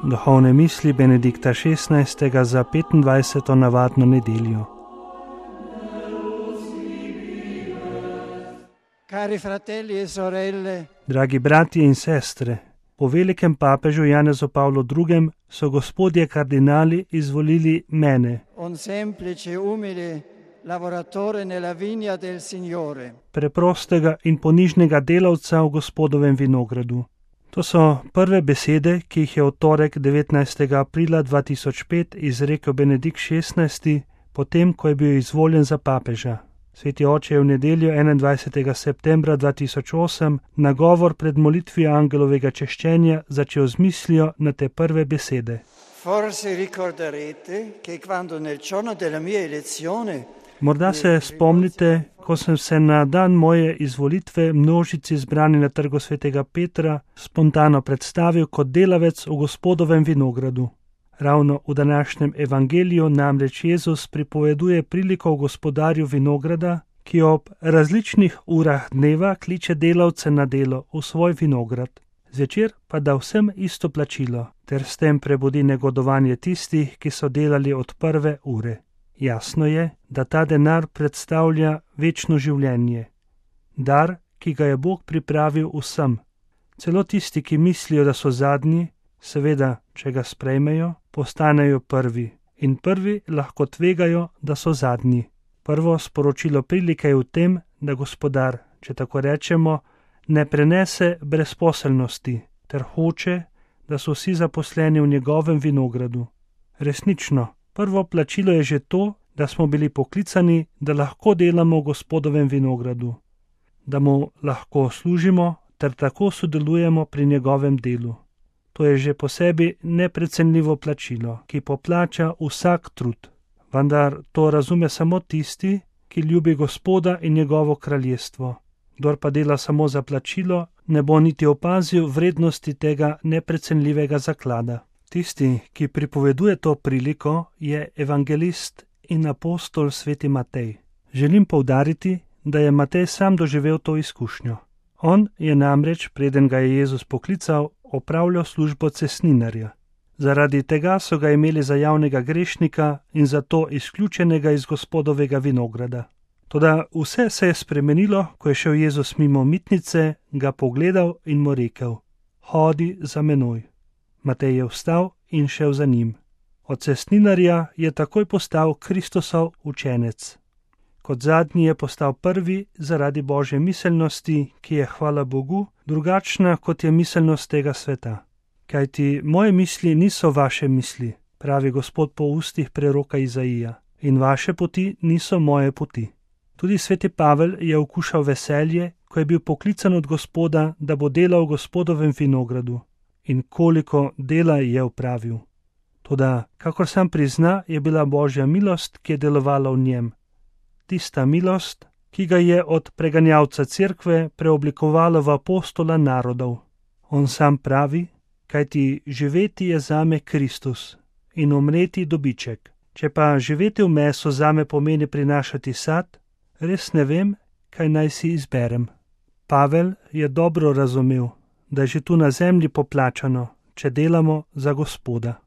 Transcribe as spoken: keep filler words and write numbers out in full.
Duhovne misli Benedikta šestnajstega za petindvajseto navadno nedeljo. Cari fratelli e sorelle, Dragi bratje in sestre, po velikem papežu Janezu Pavlu drugem so gospodje kardinali izvolili mene, un semplice, umile lavoratore nella vigna del Signore. preprostega in ponižnega delavca v Gospodovem vinogradu. To so prve besede, ki jih je v torek devetnajstega aprila dva tisoč pet izrekel Benedikt šestnajsti, potem ko je bil izvoljen za papeža. Sveti oče je v nedeljo enaindvajsetega septembra dva tisoč osem na govor pred molitvijo angelovega češčenja začel z mislijo na te prve besede. Forse ricorderete che quando nel giorno della mia elezione Morda se spomnite, ko sem se na dan moje izvolitve množici zbrani na trgu svetega Petra spontano predstavil kot delavec v Gospodovem vinogradu. Ravno v današnjem evangeliju namreč Jezus pripoveduje priliko o gospodarju vinograda, ki ob različnih urah dneva kliče delavce na delo v svoj vinograd. Zvečer pa da vsem isto plačilo, ter s tem prebudi negodovanje tistih, ki so delali od prve ure. Jasno je, da ta denar predstavlja večno življenje. Dar, ki ga je Bog pripravil vsem. Celo tisti, ki mislijo, da so zadnji, seveda, če ga sprejmejo, postanejo prvi. In prvi lahko tvegajo, da so zadnji. Prvo sporočilo prilike je v tem, da gospodar, če tako rečemo, ne prenese brezposelnosti, ter hoče, da so vsi zaposleni v njegovem vinogradu. Resnično, prvo plačilo je že to, da smo bili poklicani, da lahko delamo v Gospodovem vinogradu, da mu lahko služimo ter tako sodelujemo pri njegovem delu. To je že po sebi neprecenljivo plačilo, ki poplača vsak trud. Vendar to razume samo tisti, ki ljubi Gospoda in njegovo kraljestvo. Kdor pa dela samo za plačilo, ne bo niti opazil vrednosti tega neprecenljivega zaklada. Tisti, ki pripoveduje to priliko, je evangelist in apostol sveti Matej. Želim poudariti, da je Matej sam doživel to izkušnjo. On je namreč, preden ga je Jezus poklical, opravljal službo cestninarja. Zaradi tega so ga imeli za javnega grešnika in zato izključenega iz Gospodovega vinograda. Toda vse se je spremenilo, ko je šel Jezus mimo mitnice, ga pogledal in mu rekel: Hodi za menoj. Matej je vstal in šel za njim. Od cestninarja je takoj postal Kristusov učenec. Kot zadnji je postal prvi zaradi Božje miselnosti, ki je, hvala Bogu, drugačna kot je miselnost tega sveta. Kajti moje misli niso vaše misli, pravi Gospod po ustih preroka Izaija, in vaše poti niso moje poti. Tudi sveti Pavel je okušal veselje, ko je bil poklican od Gospoda, da bo delal v Gospodovem vinogradu. In koliko dela je opravil. Toda, kakor sam prizna, je bila Božja milost, ki je delovala v njem. Tista milost, ki ga je od preganjalca cerkve preoblikovala v apostola narodov. On sam pravi, kajti živeti je zame Kristus in umreti dobiček. Če pa živeti v meso zame pomeni prinašati sad, res ne vem, kaj naj si izberem. Pavel je dobro razumel, da je že tu na zemlji poplačano, če delamo za Gospoda.